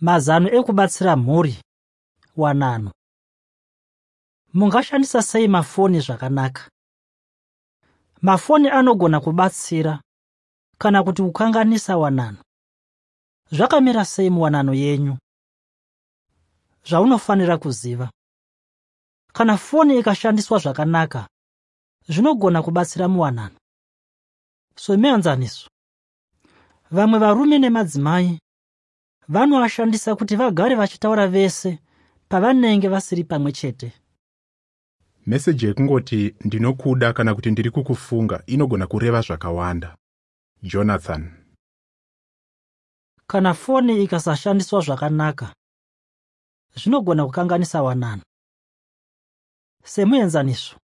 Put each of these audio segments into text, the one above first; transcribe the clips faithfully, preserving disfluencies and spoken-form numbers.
Mazano ekubatsira mhuri wanano. Mungashandisa sei mafoni zvakanaka? Mafoni anogona kubatsira kana kuti kukanganisa wanano. Zvakamira sei muwanano yenyu? Zvaunofanira kuziva: kana foni ikashandiswa zvakanaka, zvinogona kubatsira muwanano. Somuenzaniso, vamwe varume nemadzimai vanoashandisa kuti vagare vachitaura vese pavanenge vasiri pamwe chete. Meseji yekungoti "Ndinokuda" kana kuti "Ndiri kukufunga" inogona kureva zvakawanda. Jonathan. Kana foni ikasashandiswa zvakanaka, zvinogona kukanganisa wanano. Semuenzaniso,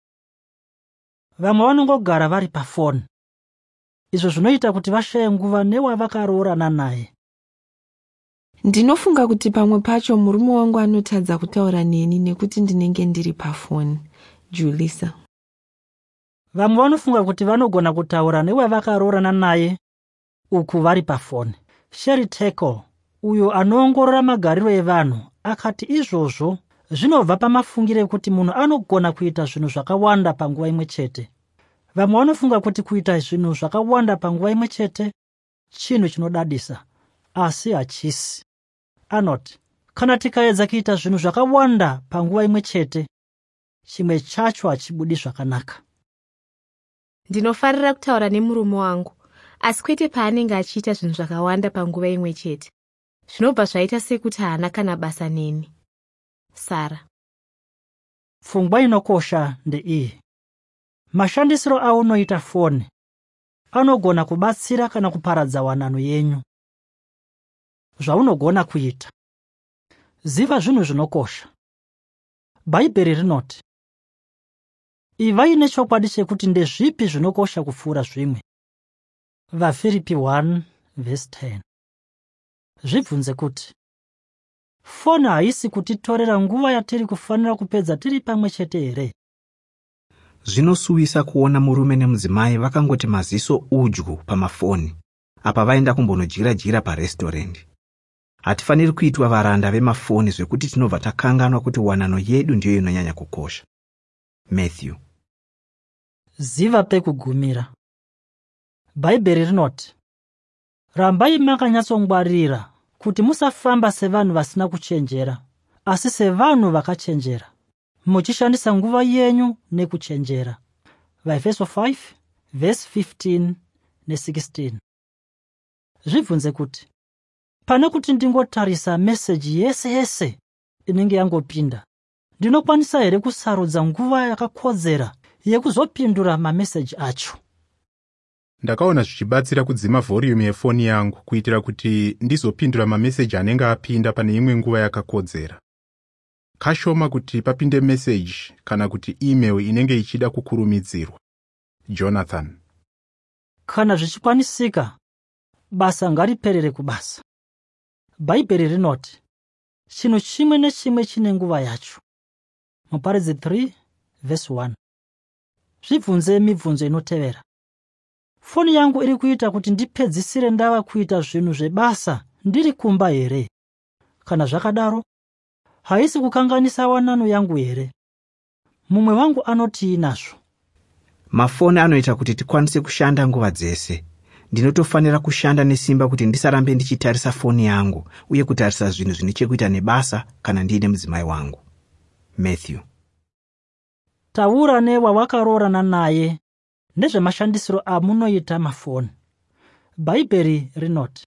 vamwe vanongogara vari pafoni, izvo zvinoita kuti vashaye nguva newavakaroorana naye. Ndinofunga kuti pamwe pacho murume wangu anotadza kutaura neni nekuti ndinenge ndiri pafoni. Julisa. Vamwe vanofunga kuti vanogona kutaura newavakaroorana naye uku vari pafoni. Sherry Turkle, uyo anoongorora magariro evanhu, akati izvozvo zvinobva pamafungiro ekuti munhu anogona kuita zvinhu zvakawanda panguva imwe chete. Vamwe vanofunga kuti kuita zvinhu zvakawanda panguva imwe chete chinhu chinodadisa, asi hachisi. Anoti kana tikaedza kuita zvinhu zvakawanda panguva imwe chete, chimwe chacho hachibudi zvakanaka. Ndinofarira kutaura nemurume wangu, asi kwete paanenge achiita zvinhu zvakawanda panguva imwe chete. Zvinobva zvaita sekuti haana kana basa neni. Sara. Pfungwa inokosha ndeiyi: mashandisiro aunoita foni anogona kubatsira kana kuparadza wanano yenyu. Zvaunogona kuita: ziva zvinhu zvinokosha. Bhaibheri rinoti, "Ivai nechokwadi chekuti ndezvipi zvinokosha kupfuura zvimwe." VaFiripi one vhesi ten. Zvibvunze kuti, foni haisi kutitorera nguva yatiri kufanira kupedza tiri pamwe chete here? Zvinosuwisa kuona murume nemudzimai vakangoti maziso udyu pamafoni apa vaenda kumbonodyira-dyira paresitorendi. Hatifaniri kuitwa varanda vemafoni zvekuti tinobva takanganwa kuti wanano yedu ndiyo inonyanya kukosha. Matthew. Ziva pekugumira. Bhaibheri rinoti, "Rambai makanyatsongwarira kuti musafamba sevanhu vasina kuchenjera, asi sevanhu vakachenjera, muchishandisa nguva yenyu nekuchenjera." VaEfeso five vhesi fifteen ne sixteen. Zvibvunze kuti, pane kuti ndingotarisa meseji yese yese inenge yangopinda, ndinokwanisa here kusarudza nguva yakakodzera yekuzopindura mameseji acho? Ndakaona zvichibatsira kudzima vhoriyumu yefoni yangu kuitira kuti ndizopindura mameseji anenge apinda pane imwe nguva yakakodzera. Kashoma kuti papinde meseji kana kuti email inenge ichida kukurumidzirwa. Jonathan. Kana zvichikwanisika, basa ngariperere kubasa. Bhaibheri rinoti, chinhu chimwe nechimwe chine nguva yacho. Muparidzi three vhesi one. Zvibvunze mibvunzo inotevera. Foni yangu iri kuita kuti ndipedzisire ndava kuita zvinhu zvebasa ndiri kumba here? Kana zvakadaro, haisi kukanganisa wanano yangu here? Mumwe wangu anotii nazvo? Mafoni anoita kuti tikwanise kushanda nguva dzese. Ndinotofanira kushanda nesimba kuti ndisarambe ndichitarisa foni yangu uye kutarisa zvinhu zvine chekuita nebasa kana ndiine mudzimai wangu. Matthew. Taura newawakaroorana naye nezvemashandisiro amunoita mafoni. Bhaibheri rinoti,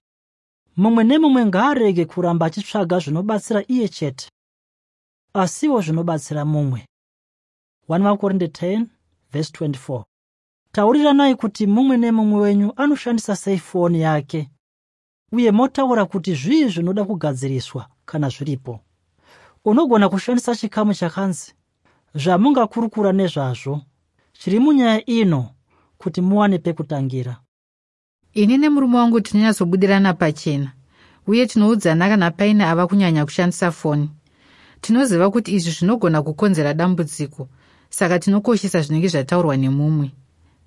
mumwe nemumwe ngaarege kuramba achitsvaga zvinobatsira iye chete, asiwo zvinobatsira mumwe. one Vakorinde ten vhesi twenty-four. Tauriranai kuti mumwe nemumwe wenyu anoshandisa sei foni yake, uye motaura kuti zvii zvinoda kugadziriswa kana zviripo. Unogona kushandisa chikamu chakanzi zvamungakurukura nezvazvo chiri munyaya ino kuti muwane pekutangira. Ini nemurume wangu tinonyatsobudirana pachena, uye tinoudzana kana paine ava kunyanya kushandisa foni. Tinoziva kuti izvi zvinogona kukonzera dambudziko, saka tinokoshesa zvinenge zvataurwa nemumwe.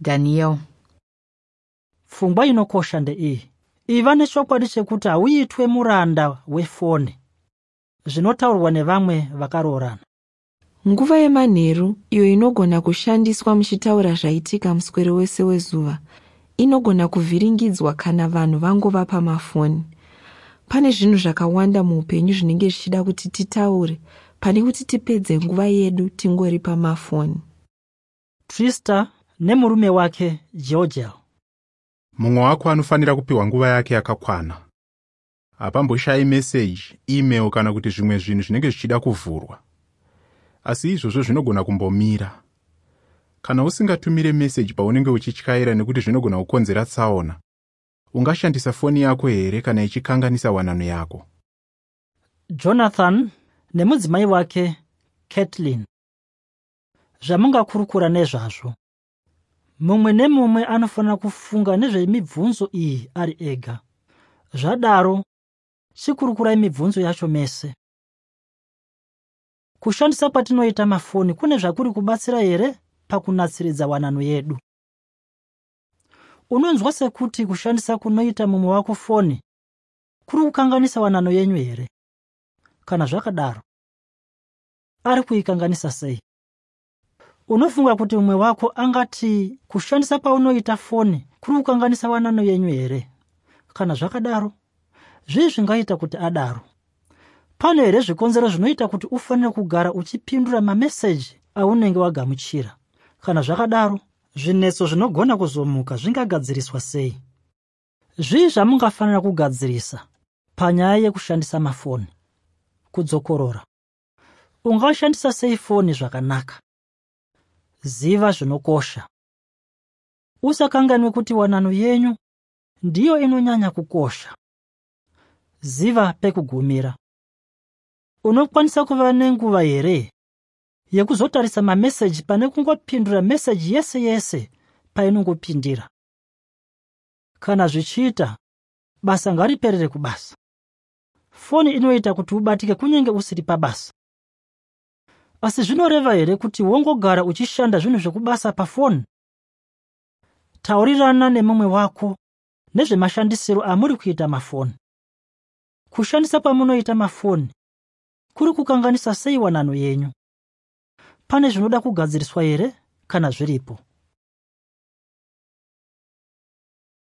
Daniel. Pfungwa inokosha ndeiyi: Iva nechokwadi chekuti hauitwe muranda wefoni. Zvinotaurwa nevamwe vakaroorana. Nguva yemanheru iyo inogona kushandiswa muchitaura zvaitika muswero wese wezuva inogona kuvhiringidzwa kana vanhu vangova pamafoni. Pane zvinhu zvakawanda muupenyu zvinenge zvichida kuti titaure pane kuti tipedze nguva yedu tingori pamafoni. Trista nemurume wake Georgel. Mumwe wako anofanira kupiwa nguva yake yakakwana. Hapamboshayi meseji, email kana kuti zvimwe zvinhu zvinenge zvichida kuvhurwa. Asi izvozvo zvinogona kumbomira. Kana usingatumire meseji paunenge uchityaira nekuti zvinogona kukonzera tsaona, ungashandisa foni yako here kana ichikanganisa wanano yako? Jonathan nemudzimai wake Caitlin. Zvamungakurukura nezvazvo. Mumwe nemumwe anofanira kufunga nezvemibvunzo iyi ari ega. Zvadaro, chikurukurai mibvunzo yacho mese. Kushandisa kwatinoita mafoni kune zvakuri kubatsira here pakunatsiridza wanano yedu? Unonzwa sekuti kushandisa kunoita mumwe wako foni kuri kukanganisa wanano yenyu here? Kana zvakadaro, ari kuikanganisa sei? Unofunga kuti mumwe wako angati kushandisa kwaunoita foni kuri kukanganisa wanano yenyu here? Kana zvakadaro, zvii zvingaita kuti adaro? Pane here zvikonzero zvinoita kuti ufanire kugara uchipindura mameseji aunenge wagamuchira? Kana zvakadaro, zvinetso zvinogona kuzomuka zvingagadziriswa sei? Zvii zvamungafanira kugadzirisa panyaya yekushandisa mafoni? Kudzokorora. Ungashandisa sei foni zvakanaka? Ziva zvinokosha. Usakanganwe kuti wanano yenyu ndiyo inonyanya kukosha. Ziva pekugumira. Unokwanisa kuva nenguva here yekuzotarisa mameseji pane kungopindura meseji yese yese painongopindira? Kana zvichiita, basa ngariperere kubasa. Foni inoita kuti ubatike kunyange usiri pabasa. Asi zvinoreva here kuti wongogara uchishanda zvinhu zvekubasa pafoni? Taurirana nemumwe wako nezvemashandisiro amuri kuita mafoni. Kushandisa kwamunoita mafoni kuri kukanganisa sei wanano yenyu? Pane zvinoda kugadziriswa here kana zviripo?